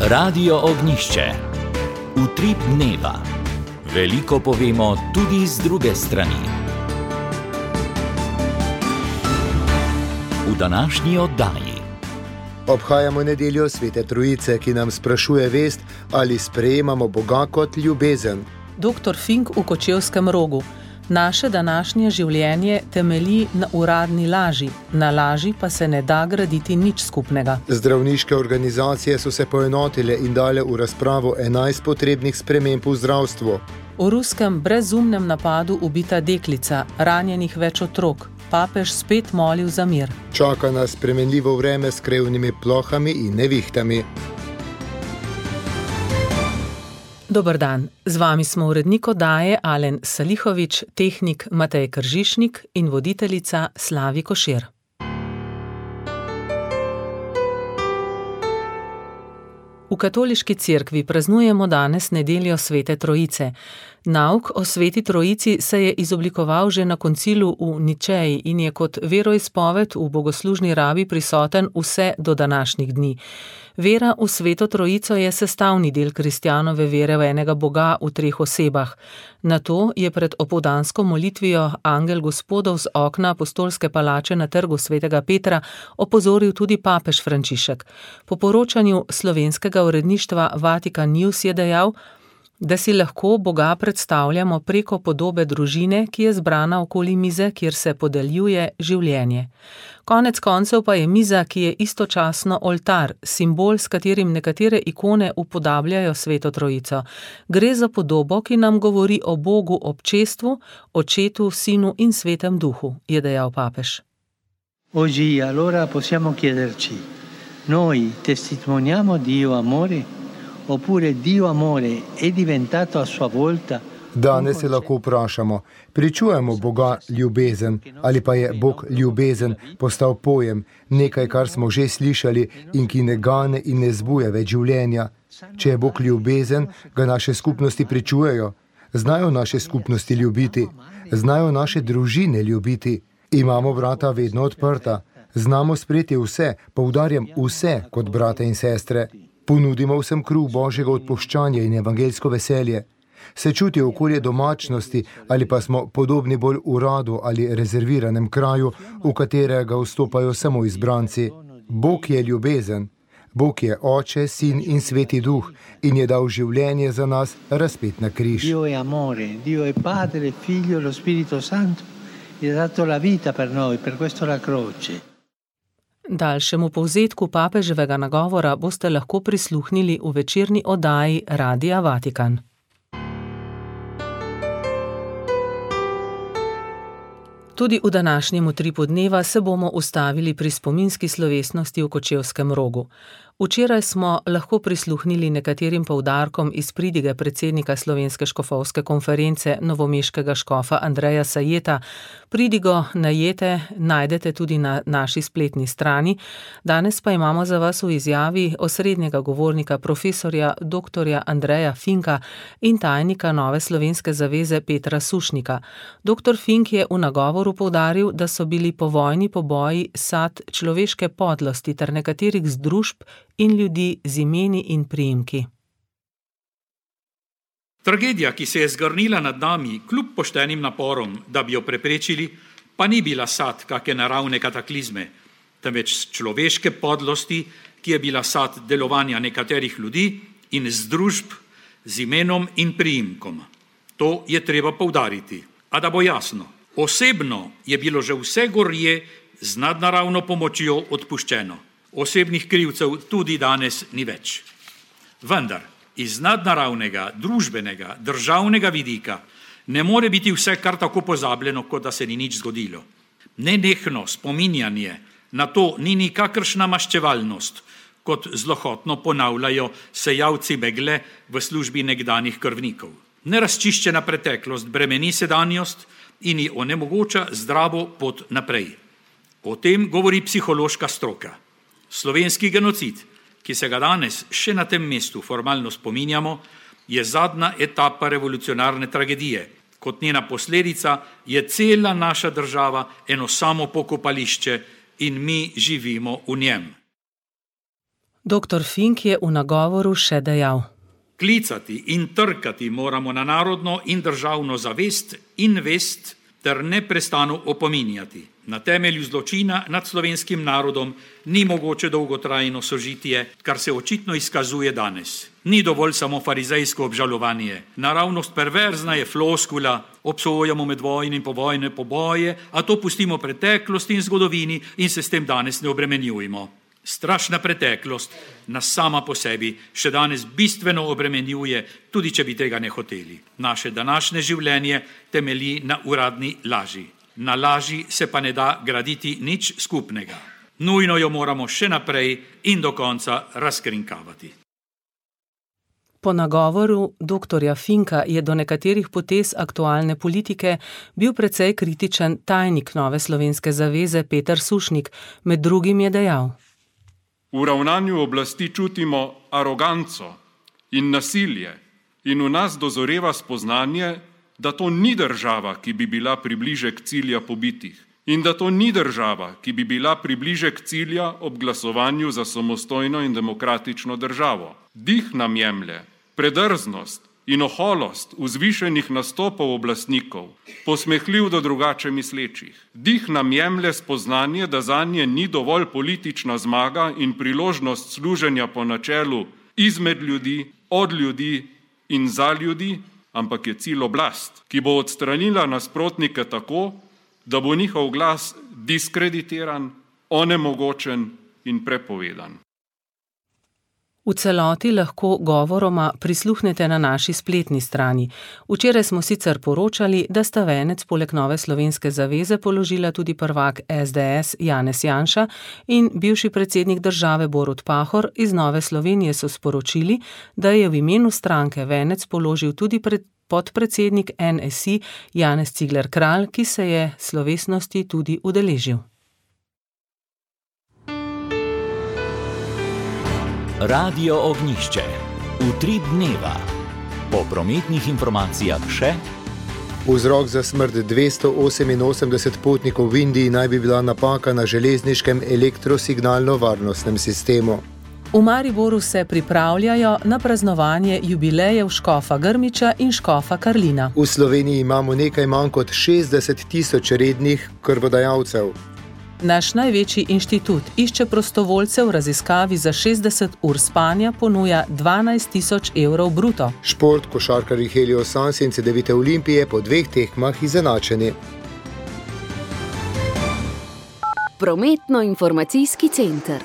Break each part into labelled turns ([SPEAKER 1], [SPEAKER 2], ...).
[SPEAKER 1] Radio Ognišče. Utrip dneva. Veliko povemo tudi z druge strani. V današnji oddaji
[SPEAKER 2] obhajamo nedeljo Svete Trojice, ki nam sprašuje vest, ali sprejemamo Boga kot ljubezen.
[SPEAKER 3] Dr. Fink v Kočevskem Rogu. Naše današnje življenje temelji na uradni laži, na laži pa se ne da graditi nič skupnega.
[SPEAKER 2] Zdravniške organizacije so se poenotile in dale v razpravo 11 potrebnih sprememb v zdravstvu.
[SPEAKER 3] V ruskem brezumnem napadu ubita deklica, ranjenih več otrok. Papež spet molil za mir.
[SPEAKER 2] Čaka nas spremenljivo vreme s krevnimi plohami in nevihtami.
[SPEAKER 3] Dober dan, z vami smo urednik oddaje Alen Salihovič, tehnik Matej Kržišnik in voditeljica Slavi Košir. V katoliški cerkvi praznujemo danes nedeljo Svete Trojice. Nauk o Sveti Trojici se je izoblikoval že na koncilu v Ničeji in je kot veroizpoved v bogoslužni rabi prisoten vse do današnjih dni. Vera v Sveto Trojico je sestavni del kristjanove vere v enega Boga v treh osebah. Na to je pred opoldansko molitvijo angel Gospodov z okna apostolske palače na trgu svetega Petra opozoril tudi papež Frančišek. Po poročanju slovenskega uredništva Vatikan News je dejal, da si lahko Boga predstavljamo preko podobe družine, ki je zbrana okoli mize, kjer se podeljuje življenje. Konec koncev pa je miza, ki je istočasno oltar, simbol, s katerim nekatere ikone upodabljajo Sveto Trojico. Gre za podobo, ki nam govori o Bogu občestvu, Očetu, Sinu in Svetem Duhu, je dejal papež.
[SPEAKER 4] Oggi allora possiamo chiederci, noi testimoniamo Dio amore? Oppure Dio amore è diventato a sua volta.
[SPEAKER 2] Danes se lahko vprašamo, pričujemo Boga ljubezen ali pa je Bog ljubezen postal pojem, nekaj, kar smo že slišali in ki ne gane in ne zbuja več življenja. Če je Bog ljubezen, ga naše skupnosti pričujejo. Znajo naše skupnosti ljubiti, znajo naše družine ljubiti. Imamo vrata vedno odprta, znamo sprejeti vse, poudarjam vse kot brate in sestre. Ponudimo vsem kruh Božjega odpuščanja in evangeljsko veselje. Se čuti okolje domačnosti ali pa smo podobni bolj uradu ali rezerviranem kraju, v katerega vstopajo samo izbranci. Bog je ljubezen. Bog je Oče, Sin in Sveti Duh in je dal življenje za nas razpet na križ.
[SPEAKER 4] Dio è amore, Dio è Padre, Figlio, lo Spirito Santo, e ha dato la vita per noi, per questo la croce.
[SPEAKER 3] Daljšemu povzetku papeževega nagovora boste lahko prisluhnili v večerni oddaji Radia Vatikan. Tudi v današnjem utripu dneva se bomo ustavili pri spominski slovesnosti v Kočevskem Rogu. Včeraj smo lahko prisluhnili nekaterim poudarkom iz pridige predsednika Slovenske škofovske konference novomeškega škofa Andreja Sajeta. Pridigo najete najdete tudi na naši spletni strani. Danes pa imamo za vas v izjavi osrednjega govornika profesorja dr. Andreja Finka in tajnika Nove slovenske zaveze Petra Sušnika. Dr. Fink je v nagovoru poudaril, da so bili povojni poboji sad človeške podlosti ter nekaterih združb in ljudi z imeni in priimki.
[SPEAKER 5] Tragedija, ki se je zgrnila nad nami, kljub poštenim naporom, da bi jo preprečili, pa ni bila sad kake naravne kataklizme, temveč človeške podlosti, ki je bila sad delovanja nekaterih ljudi in združb z imenom in priimkom. To je treba poudariti. A da bo jasno, osebno je bilo že vse gorje z nadnaravno pomočjo odpuščeno. Osebnih krivcev tudi danes ni več. Vendar iz nadnaravnega, družbenega, državnega vidika ne more biti vse kar tako pozabljeno, kot da se ni nič zgodilo. Nenehno spominjanje na to ni nikakršna maščevalnost, kot zlohotno ponavljajo sejavci megle v službi nekdanjih krvnikov. Nerazčiščena preteklost bremeni sedanjost in ji onemogoča zdravo pot naprej. O tem govori psihološka stroka. Slovenski genocid, ki se ga danes še na tem mestu formalno spominjamo, je zadnja etapa revolucionarne tragedije. Kot njena posledica je cela naša država eno samo pokopališče in mi živimo v njem.
[SPEAKER 3] Dr. Fink je v nagovoru še dejal:
[SPEAKER 5] Klicati in trkati moramo na narodno in državno zavest in vest ter neprestano opominjati. Na temelju zločina nad slovenskim narodom ni mogoče dolgotrajno sožitje, kar se očitno izkazuje danes. Ni dovolj samo farizejsko obžalovanje. Naravnost perverzna je floskula, obsojamo medvojne in povojne poboje, a to pustimo preteklosti in zgodovini in se s tem danes ne obremenjujemo. Strašna preteklost nas sama po sebi še danes bistveno obremenjuje, tudi če bi tega ne hoteli. Naše današnje življenje temelji na uradni laži. Na laži se pa ne da graditi nič skupnega. Nujno jo moramo še naprej in do konca razkrinkavati.
[SPEAKER 3] Po nagovoru dr. Finka je do nekaterih potez aktualne politike bil precej kritičen tajnik Nove slovenske zaveze Peter Sušnik, med drugim je dejal:
[SPEAKER 6] V ravnanju oblasti čutimo aroganco in nasilje in v nas dozoreva spoznanje, da to ni država, ki bi bila približek cilja pobitih in da to ni država, ki bi bila približek cilja ob glasovanju za samostojno in demokratično državo. Dih nam jemlje, predrznost in oholost vzvišenih nastopov oblastnikov, posmehljiv do drugače mislečih. Dih nam jemlje spoznanje, da zanje ni dovolj politična zmaga in priložnost služenja po načelu izmed ljudi, od ljudi in za ljudi, ampak je cilj oblast, ki bo odstranila nasprotnike tako, da bo njihov glas diskreditiran, onemogočen in prepovedan.
[SPEAKER 3] V celoti lahko govoroma prisluhnete na naši spletni strani. Včeraj smo sicer poročali, da sta venec poleg Nove slovenske zaveze položila tudi prvak SDS Janez Janša in bivši predsednik države Borut Pahor. Iz Nove Slovenije so sporočili, da je v imenu stranke venec položil tudi podpredsednik NSI Janez Cigler Kralj, ki se je slovesnosti tudi udeležil.
[SPEAKER 1] Radio Ognjišče. Utrip dneva. Po prometnih informacijah še:
[SPEAKER 2] Vzrok za smrt 288 potnikov v Indiji naj bi bila napaka na železniškem elektrosignalno-varnostnem sistemu.
[SPEAKER 3] V Mariboru se pripravljajo na praznovanje jubilejev škofa Grmiča in škofa Karlina.
[SPEAKER 2] V Sloveniji imamo nekaj manj kot 60 tisoč rednih krvodajalcev.
[SPEAKER 3] Naš največji inštitut išče prostovoljcev v raziskavi za 60 ur spanja, ponuja 12 tisoč evrov bruto.
[SPEAKER 2] Šport, košarkarji Helios Sans in Cedevite Olimpije po 2 tekmah izenačeni.
[SPEAKER 7] Prometno-informacijski center.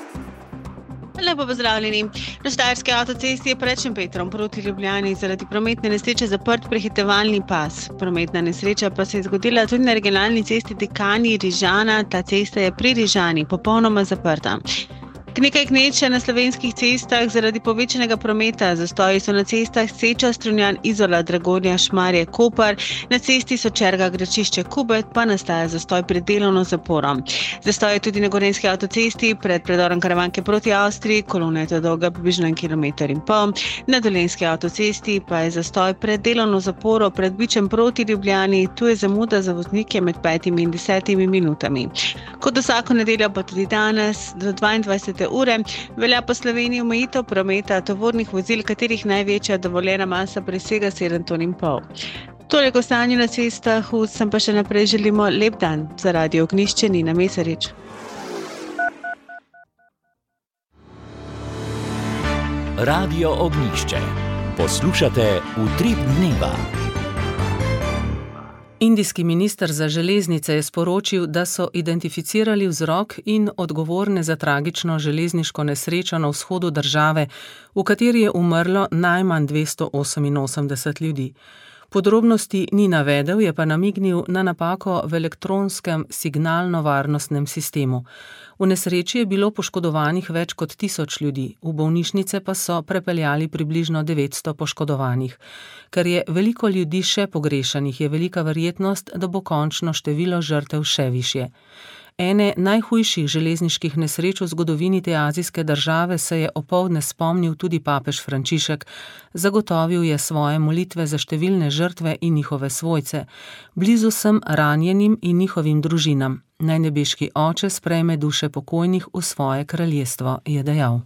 [SPEAKER 8] Lepo pozdravljeni. Na Štajerski avtocesti je pred Šempetrom proti Ljubljani zaradi prometne nesreče zaprt prehitevalni pas. Prometna nesreča pa se je zgodila tudi na regionalni cesti Dekani-Rižana. Ta cesta je pri Rižani popolnoma zaprta. Nekaj gneče na slovenskih cestah zaradi povečanega prometa. Zastoji so na cestah Seča, Strunjan, Izola, Dragonja, Šmarje, Koper. Na cesti Sočerga, Gračišče, Kubet pa nastaja zastoj pred delovno zaporo. Zastoj je tudi na Gorenjski avtocesti pred predorom Karavanke proti Avstriji. Kolona je to dolga približno 1,5 km. Na Dolenjski avtocesti pa je zastoj pred delovno zaporo pred Bičem proti Ljubljani. Tu je zamuda za voznike med 5 in 10 minutami. Kot vsako nedeljo pa tudi danes do 22. ure velja po Sloveniji omejitev prometa tovornih vozil, katerih največja dovoljena masa presega 7,5 ton. Toliko o stanju na cestah, vsem pa še naprej želimo lep dan. Za Radio Ognjišče Nina Mesarič.
[SPEAKER 1] Radio Ognjišče. Poslušate Utrip dneva.
[SPEAKER 3] Indijski minister za železnice je sporočil, da so identificirali vzrok in odgovorne za tragično železniško nesrečo na vzhodu države, v kateri je umrlo najmanj 288 ljudi. Podrobnosti ni navedel, je pa namignil na napako v elektronskem signalno-varnostnem sistemu. V nesreči je bilo poškodovanih več kot 1000 ljudi, v bolnišnice pa so prepeljali približno 900 poškodovanih. Ker je veliko ljudi še pogrešanih, je velika verjetnost, da bo končno število žrtev še višje. Ene najhujših železniških nesreč v zgodovini te azijske države se je opoldne spomnil tudi papež Frančišek. Zagotovil je svoje molitve za številne žrtve in njihove svojce. Blizu sem ranjenim in njihovim družinam. Naj nebeški oče sprejme duše pokojnih v svoje kraljestvo, je dejal.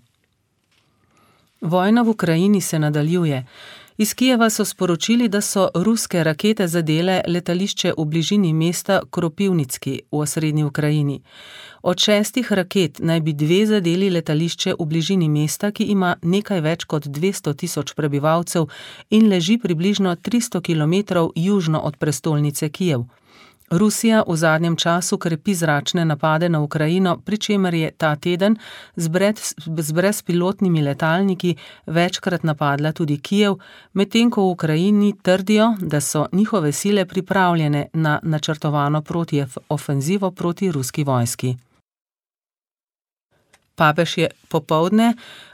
[SPEAKER 3] Vojna v Ukrajini se nadaljuje. Iz Kijeva so sporočili, da so ruske rakete zadele letališče v bližini mesta Kropivnicki v osrednji Ukrajini. Od 6 raket naj bi 2 zadeli letališče v bližini mesta, ki ima nekaj več kot 200 000 prebivalcev in leži približno 300 km južno od prestolnice Kijev. Rusija v zadnjem času krepi zračne napade na Ukrajino, pri čemer je ta teden z brezpilotnimi letalniki večkrat napadla tudi Kijev, medtem ko v Ukrajini trdijo, da so njihove sile pripravljene na načrtovano protiofenzivo proti ruski vojski. Papež je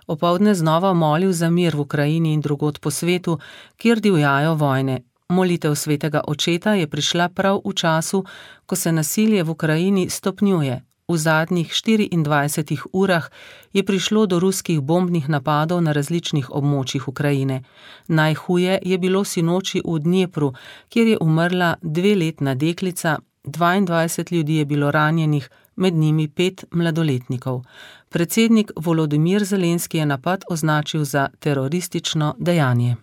[SPEAKER 3] opoldne znova molil za mir v Ukrajini in drugod po svetu, kjer divjajo vojne. Molitev svetega očeta je prišla prav v času, ko se nasilje v Ukrajini stopnjuje. V zadnjih 24 urah je prišlo do ruskih bombnih napadov na različnih območjih Ukrajine. Najhuje je bilo sinoči v Dnjepru, kjer je umrla 2-letna deklica, 22 ljudi je bilo ranjenih, med njimi 5 mladoletnikov. Predsednik Volodimir Zelenski je napad označil za teroristično dejanje.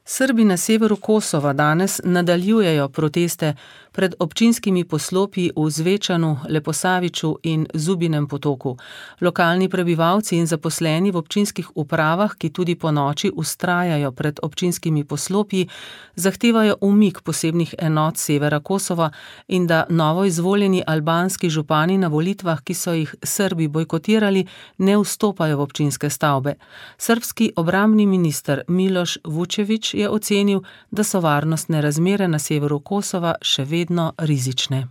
[SPEAKER 3] Srbi na severu Kosova danes nadaljujejo proteste pred občinskimi poslopji v Zvečanu, Leposaviču in Zubinem potoku. Lokalni prebivalci in zaposleni v občinskih upravah, ki tudi po noči vztrajajo pred občinskimi poslopji, zahtevajo umik posebnih enot severa Kosova in da novo izvoljeni albanski župani na volitvah, ki so jih Srbi bojkotirali, ne vstopajo v občinske stavbe. Srbski obrambni minister Miloš Vučević je ocenil, da so varnostne razmere na severu Kosova še vedno rizične.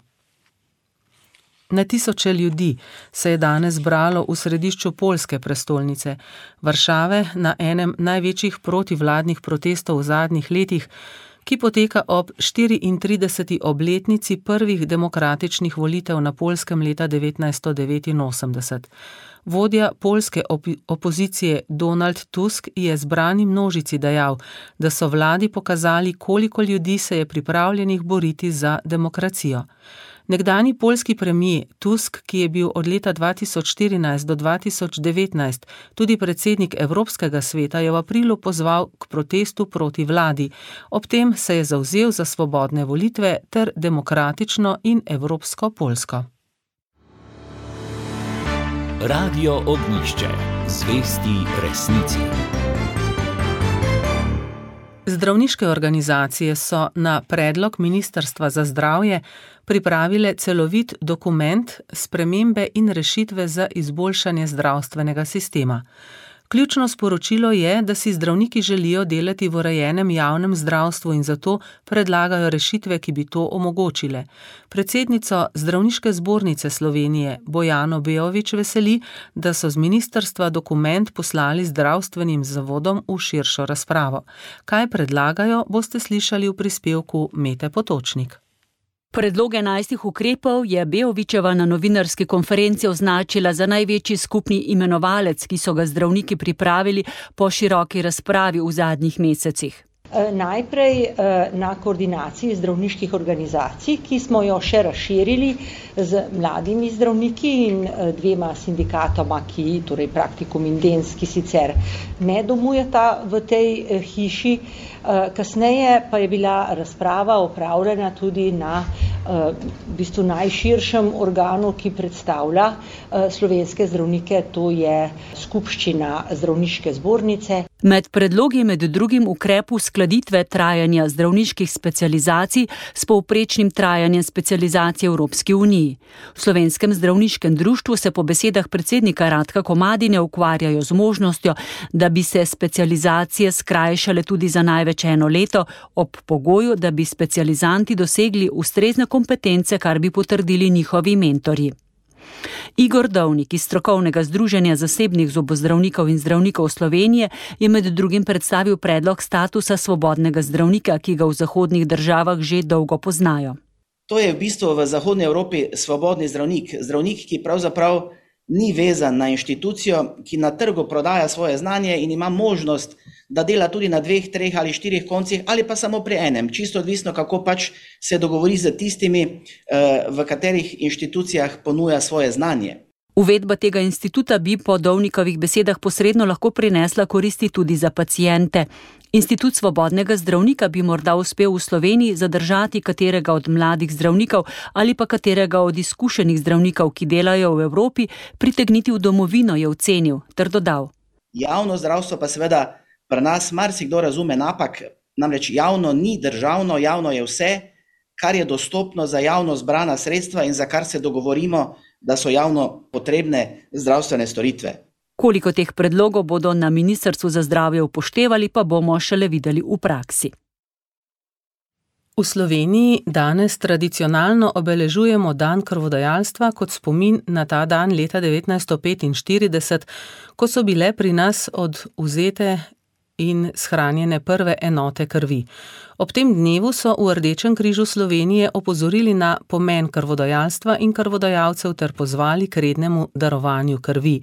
[SPEAKER 3] Na tisoče ljudi se je danes zbralo v središču poljske prestolnice, Varšave, na enem največjih protivladnih protestov v zadnjih letih, ki poteka ob 34. obletnici prvih demokratičnih volitev na Poljskem leta 1989. Vodja poljske opozicije Donald Tusk je zbrani množici dejal, da so vladi pokazali, koliko ljudi se je pripravljenih boriti za demokracijo. Nekdanji poljski premijer Tusk, ki je bil od leta 2014 do 2019 tudi predsednik Evropskega sveta, je v aprilu pozval k protestu proti vladi. Ob tem se je zavzel za svobodne volitve ter demokratično in evropsko Poljsko.
[SPEAKER 1] Radio Ognjišče. Zvesti resnici.
[SPEAKER 3] Zdravniške organizacije so na predlog Ministrstva za zdravje pripravile celovit dokument Spremembe in rešitve za izboljšanje zdravstvenega sistema. Ključno sporočilo je, da si zdravniki želijo delati v urejenem javnem zdravstvu in zato predlagajo rešitve, ki bi to omogočile. Predsednico Zdravniške zbornice Slovenije Bojano Beović veseli, da so z ministrstva dokument poslali zdravstvenim zavodom v širšo razpravo. Kaj predlagajo, boste slišali v prispevku Mete Potočnik.
[SPEAKER 7] Predlog 11 ukrepov je Beovićeva na novinarski konferenci označila za največji skupni imenovalec, ki so ga zdravniki pripravili po široki razpravi v zadnjih mesecih.
[SPEAKER 9] Najprej na koordinaciji zdravniških organizacij, ki smo jo še razširili z mladimi zdravniki in 2 sindikatoma, torej Praktikum in Dens, ki sicer ne domujeta v tej hiši. Kasneje pa je bila razprava opravljena tudi na najširšem organu, ki predstavlja slovenske zdravnike, to je Skupščina Zdravniške zbornice.
[SPEAKER 7] Med predlogi med drugim ukrep uskladitve trajanja zdravniških specializacij s povprečnim trajanjem specializacije v Evropski uniji. V Slovenskem zdravniškem društvu se po besedah predsednika Radka Komadine ukvarjajo z možnostjo, da bi se specializacije skrajšale tudi za največ 1 leto, ob pogoju, da bi specializanti dosegli ustrezne kompetence, kar bi potrdili njihovi mentorji. Igor Dovnik iz strokovnega združenja zasebnih zobozdravnikov in zdravnikov Slovenije je med drugim predstavil predlog statusa svobodnega zdravnika, ki ga v zahodnih državah že dolgo poznajo.
[SPEAKER 10] To je v bistvu v zahodni Evropi svobodni zdravnik, zdravnik, ki pravzaprav ni vezan na inštitucijo, ki na trgu prodaja svoje znanje in ima možnost, da dela tudi na 2, 3 ali 4 koncih ali pa samo pri enem, čisto odvisno, kako pač se dogovori z tistimi, v katerih inštitucijah ponuja svoje znanje.
[SPEAKER 7] Uvedba tega instituta bi po Dovnikovih besedah posredno lahko prinesla koristi tudi za paciente. Institut svobodnega zdravnika bi morda uspel v Sloveniji zadržati katerega od mladih zdravnikov ali pa katerega od izkušenih zdravnikov, ki delajo v Evropi, pritegniti v domovino, je ocenil ter dodal.
[SPEAKER 10] Javno zdravstvo pa seveda pri nas marsikdo razume napak, namreč javno ni državno, javno je vse, kar je dostopno za javno zbrana sredstva in za kar se dogovorimo, da so javno potrebne zdravstvene storitve.
[SPEAKER 7] Koliko teh predlogov bodo na Ministrstvu za zdravje upoštevali, pa bomo šele videli v praksi.
[SPEAKER 3] V Sloveniji danes tradicionalno obeležujemo dan krvodajalstva kot spomin na ta dan leta 1945, ko so bile pri nas odvzete in shranjene prve enote krvi. Ob tem dnevu so v Rdečem križu Slovenije opozorili na pomen krvodajalstva in krvodajalcev ter pozvali k rednemu darovanju krvi.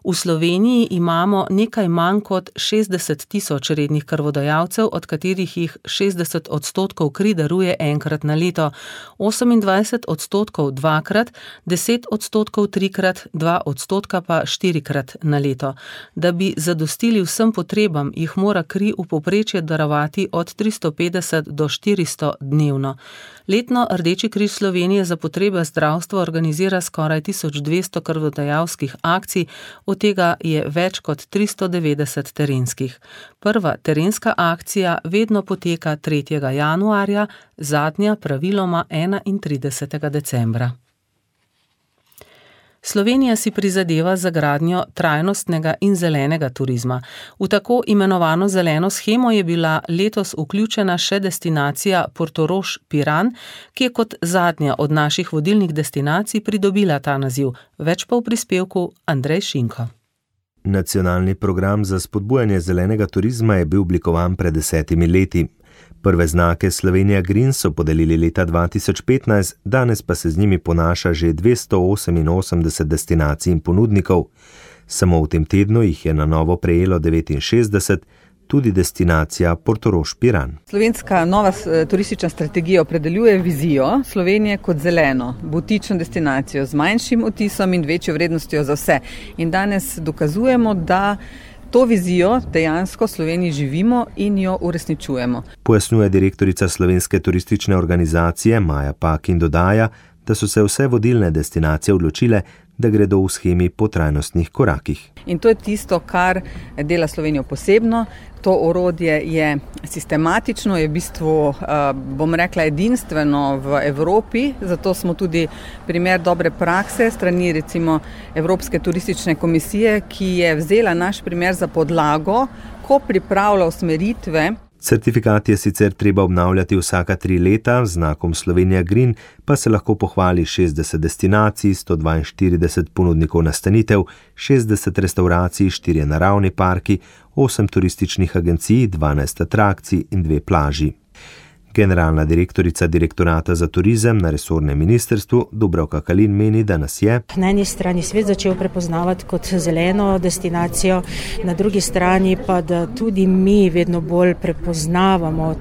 [SPEAKER 3] V Sloveniji imamo nekaj manj kot 60 000 rednih krvodajalcev, od katerih jih 60% kri daruje enkrat na leto, 28% dvakrat, 10% trikrat, 2% pa 4krat na leto. Da bi zadostili vsem potrebam, jih mora kri v povprečju darovati od 350 do 400 dnevno. Letno Rdeči križ Slovenije za potrebe zdravstva organizira skoraj 1200 krvodajalskih akcij, od tega je več kot 390 terenskih. Prva terenska akcija vedno poteka 3. januarja, zadnja praviloma 31. decembra. Slovenija si prizadeva za gradnjo trajnostnega in zelenega turizma. V tako imenovano zeleno shemo je bila letos vključena še destinacija Portorož Piran, ki je kot zadnja od naših vodilnih destinacij pridobila ta naziv. Več pa v prispevku Andrej Šinko.
[SPEAKER 11] Nacionalni program za spodbujanje zelenega turizma je bil oblikovan pred 10 leti. Prve znake Slovenija Green so podelili leta 2015, danes pa se z njimi ponaša že 288 destinacij in ponudnikov. Samo v tem tednu jih je na novo prejelo 69, tudi destinacija Portorož Piran.
[SPEAKER 12] Slovenska nova turistična strategija opredeljuje vizijo Slovenije kot zeleno, butično destinacijo z manjšim odtisom in večjo vrednostjo za vse. In danes dokazujemo, da to vizijo dejansko v Sloveniji živimo in jo uresničujemo.
[SPEAKER 11] Pojasnjuje direktorica Slovenske turistične organizacije Maja Pak in dodaja, da so se vse vodilne destinacije odločile, da gredo v shemi po trajnostnih korakih.
[SPEAKER 12] In to je tisto, kar dela Slovenijo posebno. To orodje je sistematično, je v bistvu, bom rekla, edinstveno v Evropi, zato smo tudi primer dobre prakse strani recimo Evropske turistične komisije, ki je vzela naš primer za podlago, ko pripravlja usmeritve.
[SPEAKER 11] Certifikat je sicer treba obnavljati vsaka 3 leta, z znakom Slovenija Green pa se lahko pohvali 60 destinacij, 142 ponudnikov nastanitev, 60 restauracij, 4 naravni parki, 8 turističnih agencij, 12 atrakcij in 2 plaži. Generalna direktorica Direktorata za turizem na resornem ministrstvu Dubravka Kalin meni, da nas je
[SPEAKER 13] na eni strani svet začel prepoznavati kot zeleno destinacijo, na drugi strani pa, da tudi mi vedno bolj prepoznavamo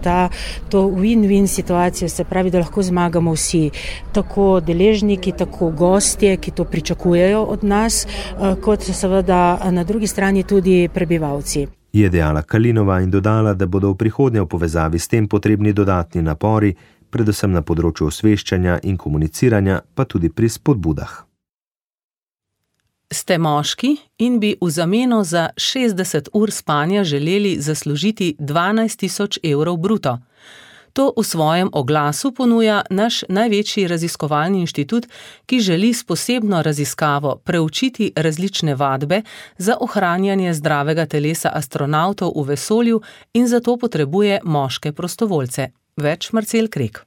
[SPEAKER 13] to win-win situacijo, se pravi, da lahko zmagamo vsi, tako deležniki, tako gostje, ki to pričakujejo od nas, kot seveda na drugi strani tudi prebivalci.
[SPEAKER 11] Je dejala Kalinova in dodala, da bodo v prihodnje v povezavi s tem potrebni dodatni napori, predvsem na področju osveščanja in komuniciranja, pa tudi pri spodbudah.
[SPEAKER 3] Ste moški in bi v zameno za 60 ur spanja želeli zaslužiti 12 000 evrov bruto. To v svojem oglasu ponuja naš največji raziskovalni inštitut, ki želi s posebno raziskavo preučiti različne vadbe za ohranjanje zdravega telesa astronavtov v vesolju in zato potrebuje moške prostovoljce. Več Marcel Krek.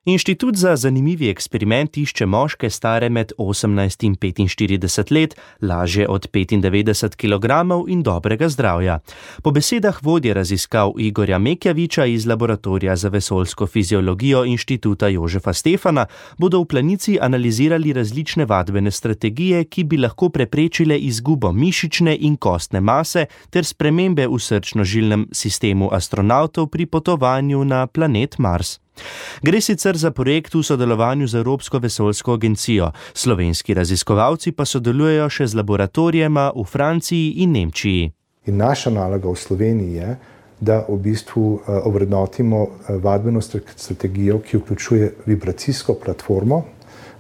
[SPEAKER 14] Inštitut za zanimivi eksperiment išče moške stare med 18 in 45 let, lažje od 95 kg in dobrega zdravja. Po besedah vodje raziskav Igorja Mekjaviča iz Laboratorija za vesoljsko fiziologijo Inštituta Jožefa Stefana bodo v Planici analizirali različne vadbene strategije, ki bi lahko preprečile izgubo mišične in kostne mase ter spremembe v srčno-žilnem sistemu astronavtov pri potovanju na planet Mars. Gre sicer za projekt v sodelovanju z Evropsko vesoljsko agencijo. Slovenski raziskovalci pa sodelujejo še z laboratorijema v Franciji in Nemčiji.
[SPEAKER 15] In naša naloga v Sloveniji je, da v bistvu ovrednotimo vadbeno strategijo, ki vključuje vibracijsko platformo,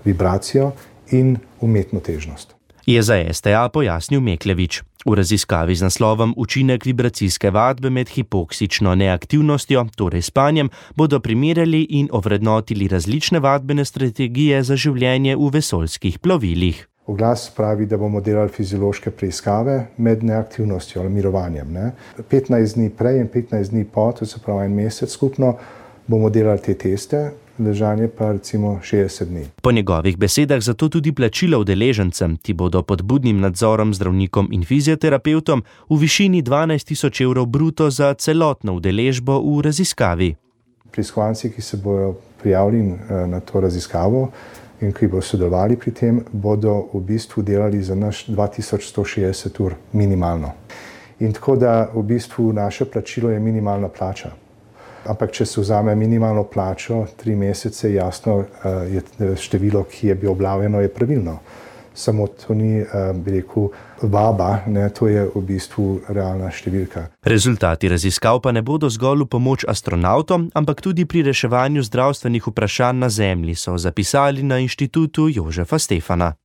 [SPEAKER 15] vibracijo in umetno težnost.
[SPEAKER 14] Je za STA pojasnil Meklevič. V raziskavi z naslovom Učinek vibracijske vadbe med hipoksično neaktivnostjo, torej spanjem, bodo primerjali in ovrednotili različne vadbene strategije za življenje v vesoljskih plovilih.
[SPEAKER 15] Oglas pravi, da bomo delali fiziološke preiskave med neaktivnostjo ali mirovanjem. 15 dni prej in 15 dni po, to se pravi en mesec skupno, bomo delali te teste, ležanje pa recimo 60 dni.
[SPEAKER 14] Po njegovih besedah zato tudi plačilo udeležencem, ti bodo pod budnim nadzorom zdravnikom in fizioterapevtom v višini 12.000 evrov bruto za celotno udeležbo v raziskavi.
[SPEAKER 15] Preiskovanci, ki se bodo prijavili na to raziskavo in ki bodo sodelovali pri tem, bodo v bistvu delali za naš 2160 ur minimalno. In tako da v bistvu naše plačilo je minimalna plača. Ampak če se vzame minimalno plačo, 3 mesece, jasno je število, ki je bilo objavljeno, je pravilno. Samo to ni, bi rekel, vaba, to je v bistvu realna številka.
[SPEAKER 14] Rezultati raziskav pa ne bodo zgolj v pomoč astronavtom, ampak tudi pri reševanju zdravstvenih vprašanj na Zemlji, so zapisali na Inštitutu Jožefa Stefana.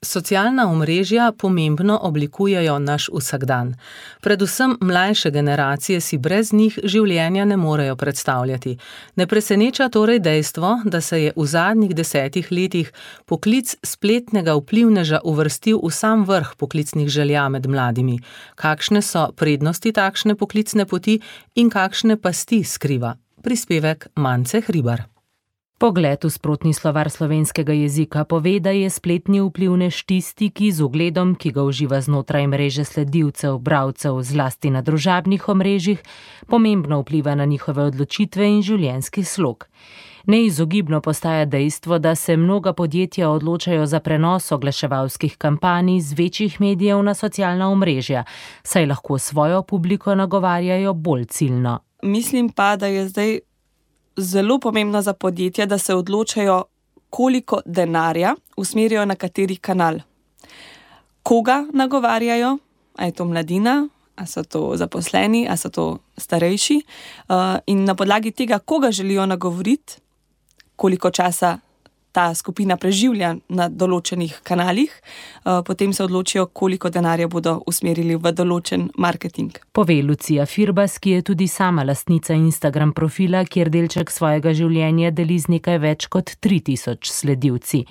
[SPEAKER 3] Socialna omrežja pomembno oblikujejo naš vsakdan. Predvsem mlajše generacije si brez njih življenja ne morejo predstavljati. Ne preseneča torej dejstvo, da se je v zadnjih 10 letih poklic spletnega vplivneža uvrstil v sam vrh poklicnih želja med mladimi. Kakšne so prednosti takšne poklicne poti in kakšne pasti skriva? Prispevek Mance Hribar.
[SPEAKER 16] Pogled v sprotni slovar slovenskega jezika pove, da je spletni vplivnež tisti, ki z ugledom, ki ga uživa znotraj mreže sledilcev, bralcev, zlasti na družabnih omrežjih, pomembno vpliva na njihove odločitve in življenjski slog. Neizogibno postaja dejstvo, da se mnoga podjetja odločajo za prenos oglaševalskih kampanj z večjih medijev na socialna omrežja, saj lahko svojo publiko nagovarjajo bolj ciljno.
[SPEAKER 17] Mislim pa, da je zdaj zelo pomembno za podjetja, da se odločajo, koliko denarja usmerijo na kateri kanal. Koga nagovarjajo, a je to mladina, a so to zaposleni, a so to starejši, in na podlagi tega, koga želijo nagovoriti, koliko časa ta skupina preživlja na določenih kanalih, potem se odločijo, koliko denarja bodo usmerili v določen marketing.
[SPEAKER 16] Pove Lucija Firbas, ki je tudi sama lastnica Instagram profila, kjer delček svojega življenja deli z nekaj več kot 3000 sledilci.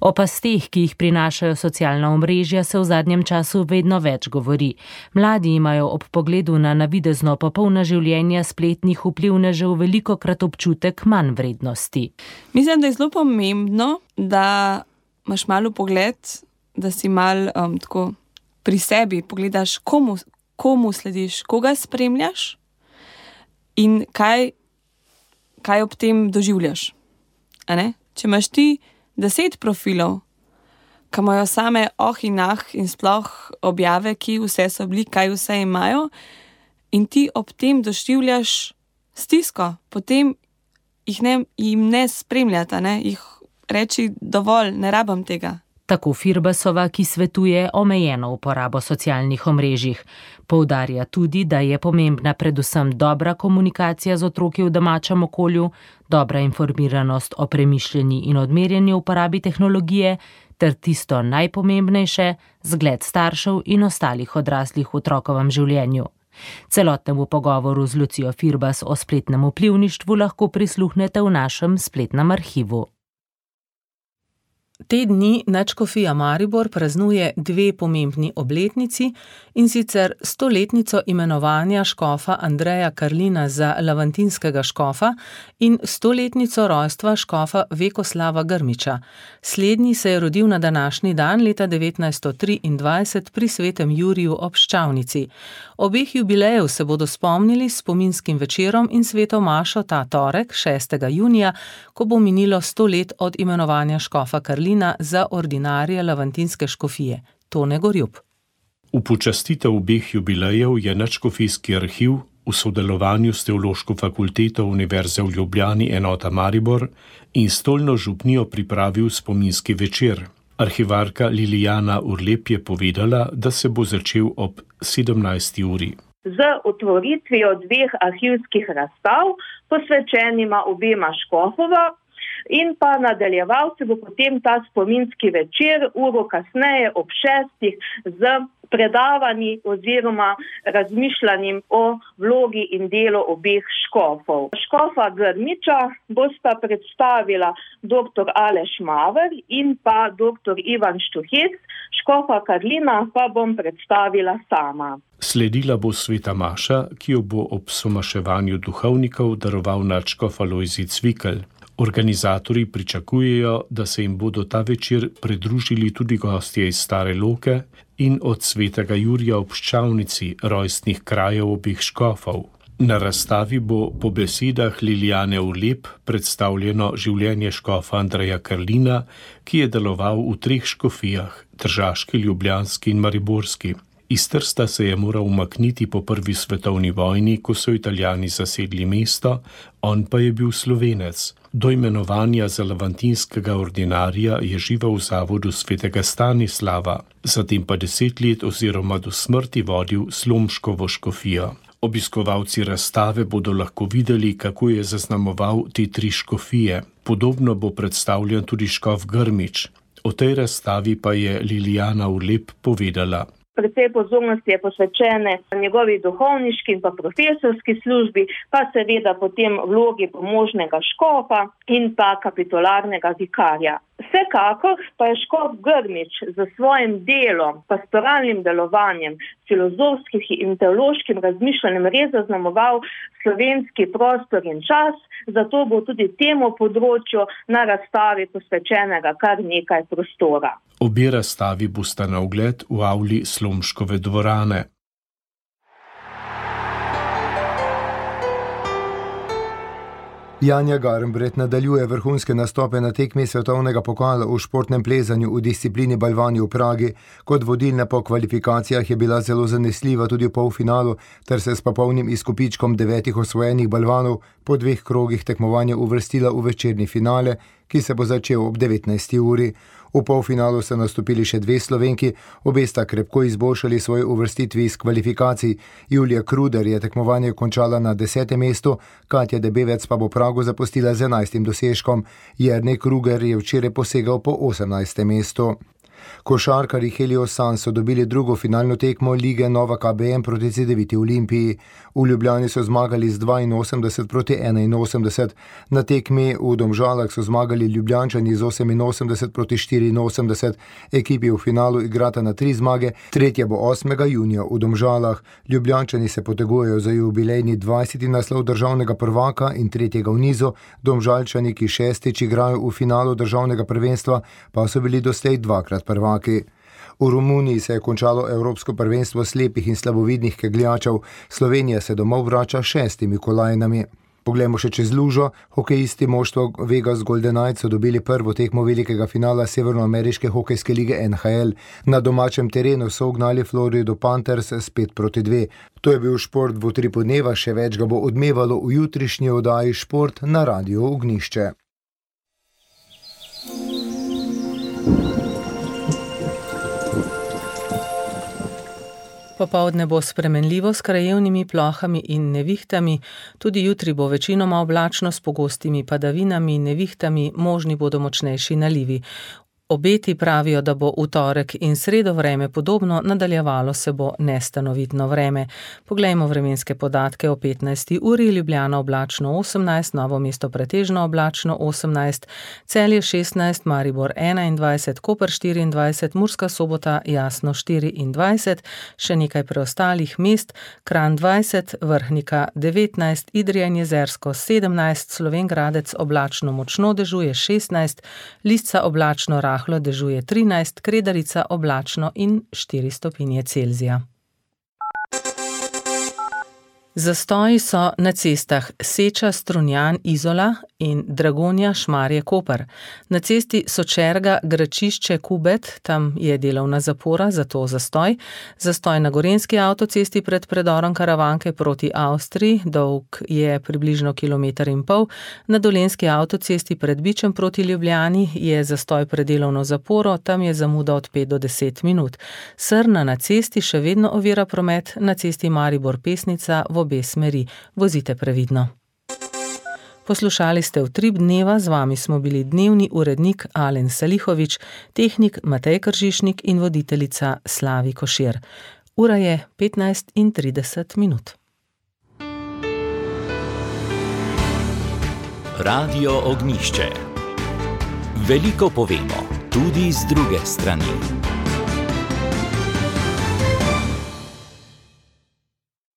[SPEAKER 16] O pasteh, ki jih prinašajo socialna omrežja, se v zadnjem času vedno več govori. Mladi imajo ob pogledu na navidezno popolna življenja spletnih vplivnežev velikokrat občutek manj vrednosti.
[SPEAKER 17] Mislim, da je zelo pomembno, da imaš malo pogled, da si malo tako pri sebi pogledaš, komu slediš, koga spremljaš in kaj ob tem doživljaš. A ne? Če imaš ti 10 profilov, ki imajo same in in sploh objave, ki vse so bili, kaj vse imajo, in ti ob tem doživljaš stisko, potem jim ne spremljata, jih reči dovolj, ne rabam tega.
[SPEAKER 16] Tako Firbasova, ki svetuje omejeno uporabo socialnih omrežjih. Poudarja tudi, da je pomembna predvsem dobra komunikacija z otroki v domačem okolju, dobra informiranost o premišljeni in odmerjeni uporabi tehnologije, ter tisto najpomembnejše, zgled staršev in ostalih odraslih v otrokovem življenju. Celotnemu pogovoru z Lucijo Firbas o spletnem vplivništvu lahko prisluhnete v našem spletnem arhivu.
[SPEAKER 3] Te dni Nadškofija Maribor praznuje 2 pomembni obletnici, in sicer 100-letnico imenovanja škofa Andreja Karlina za lavantinskega škofa in 100-letnico rojstva škofa Vekoslava Grmiča. Slednji se je rodil na današnji dan leta 1923 pri Svetem Juriju ob Ščavnici. Obeh jubilejev se bodo spomnili s spominskim večerom in sveto mašo ta torek, 6. junija, ko bo minilo 100 let od imenovanja škofa Karlina za ordinarije lavantinske škofije. Tone Gorjup.
[SPEAKER 18] V počastitev obeh jubilejev je Nadškofijski arhiv v sodelovanju s Teološko fakulteto Univerze v Ljubljani enota Maribor in Stolno župnijo pripravil spominski večer. Arhivarka Lilijana Urlep je povedala, da se bo začel ob 17. uri.
[SPEAKER 19] Z otvoritvijo 2 arhivskih razstav, posvečenima obema škofova, in pa nadaljeval se bo potem ta spominski večer, uro kasneje ob 6. z predavanji oziroma razmišljanjem o vlogi in delu obeh škofov. Škofa Grmiča bosta predstavila dr. Aleš Maver in pa dr. Ivan Štuhec, škofa Karlina pa bom predstavila sama.
[SPEAKER 18] Sledila bo sveta maša, ki jo bo ob somaševanju duhovnikov daroval nadškof Alojzij Cvikl. Organizatorji pričakujejo, da se jim bodo ta večer pridružili tudi gostje iz Stare Loke in od svetega Jurija ob Ščavnici, rojstnih krajev obeh škofov. Na razstavi bo po besedah Lilijane Urlep predstavljeno življenje škofa Andreja Karlina, ki je deloval v 3 škofijah, tržaški, ljubljanski in mariborski. Iz Trsta se je moral umakniti po 1. svetovni vojni, ko so Italijani zasedli mesto, on pa je bil Slovenec. Do imenovanja za levantinskega ordinarja je živel v zavodu svetega Stanislava, zatem pa 10 let oziroma do smrti vodil Slomškovo škofijo. Obiskovalci razstave bodo lahko videli, kako je zaznamoval te 3 škofije. Podobno bo predstavljen tudi škof Grmič. O tej razstavi pa je Lilijana Urlep povedala.
[SPEAKER 19] Precej pozornosti je posvečene njegovi duhovniški in pa profesorski službi, pa seveda potem vlogi pomožnega škofa in pa kapitularnega vikarja. Vsekakor pa je škof Grmič za svojim delom, pastoralnim delovanjem, filozofskim in teološkim razmišljanjem res zaznamoval slovenski prostor in čas, zato bo tudi temu področju na razstavi posvečenega kar nekaj prostora.
[SPEAKER 18] Obe razstavi bosta na ogled v avli Slomškove dvorane.
[SPEAKER 2] Janja Garnbret nadaljuje vrhunske nastope na tekmi svetovnega pokala v športnem plezanju v disciplini balvani v Pragi. Kot vodilna po kvalifikacijah je bila zelo zanesljiva tudi v polfinalu, ter se s popolnim izkupičkom 9 osvojenih balvanov po 2 krogih tekmovanja uvrstila v večerni finale, ki se bo začel ob 19. uri. V polfinalu so nastopili še 2 Slovenki, obe sta krepko izboljšali svoje uvrstitvi iz kvalifikacij. Julija Kruder je tekmovanje končala na 10. mestu, Katja Debevec pa bo Prago zapustila z 11. dosežkom. Jernej Kruger je včeraj posegal po 18. mestu. Košarkarji Helios Sun so dobili drugo finalno tekmo lige Nova KBM proti CD9 Olimpiji. V Ljubljani so zmagali z 82 proti 81. Na tekmi v Domžalah so zmagali Ljubljančani z 88 proti 84. Ekipi v finalu igrata na 3 zmage, tretja bo 8. junija v Domžalah. Ljubljančani se potegujejo za jubilejni 20. naslov državnega prvaka in 3. v nizu. Domžalčani, ki 6. igrajo v finalu državnega prvenstva, pa so bili doslej 2-krat prvaki. V Romuniji se je končalo Evropsko prvenstvo slepih in slabovidnih kegljačev. Slovenija se domov vrača 6 kolajnami. Poglejmo še čez lužo. Hokejisti moštva Vegas Golden Knights so dobili prvo tekmo velikega finala severnoameriške hokejske lige NHL. Na domačem terenu so ugnali Florido Panthers s 5-2. To je bil šport v utripu dneva, še več ga bo odmevalo v jutrišnji oddaji Šport na Radiu Ognjišče.
[SPEAKER 3] Popoldne bo spremenljivo s krajevnimi plohami in nevihtami, tudi jutri bo večinoma oblačno s pogostimi padavinami in nevihtami, možni bodo močnejši nalivi. Obeti pravijo, da bo v torek in sredo vreme podobno, nadaljevalo se bo nestanovitno vreme. Poglejmo vremenske podatke o 15. uri. Ljubljana oblačno 18, Novo mesto pretežno oblačno 18, Celje 16, Maribor 21, Koper 24, Murska Sobota jasno 24, še nekaj preostalih mest, Kranj 20, Vrhnika 19, Idrija in Jezersko 17, Slovenj Gradec oblačno močno dežuje 16, Lisca oblačno rahlo dežuje 13, Kredarica oblačno in 4 stopinje Celzija. Zastoji so na cestah Seča, Strunjan, Izola in Dragonja, Šmarje, Koper. Na cesti Sočerga, Gračišče, Kubet, tam je delovna zapora, zato zastoj. Zastoj na gorenjski avtocesti pred predorom Karavanke proti Avstriji, dolg je približno 1,5 kilometra. Na dolenjski avtocesti pred Bičem proti Ljubljani je zastoj pred delovno zaporo, tam je zamuda od 5 do 10 minut. Srna na cesti še vedno ovira promet, na cesti Maribor-Pesnica v obe smeri. Vozite previdno. Poslušali ste Utrip dneva, z vami smo bili dnevni urednik Alen Salihovič, tehnik Matej Kržišnik in voditeljica Slavi Košir. Ura je 15:30.
[SPEAKER 1] Radio Ognjišče. Veliko povemo, tudi z druge strani.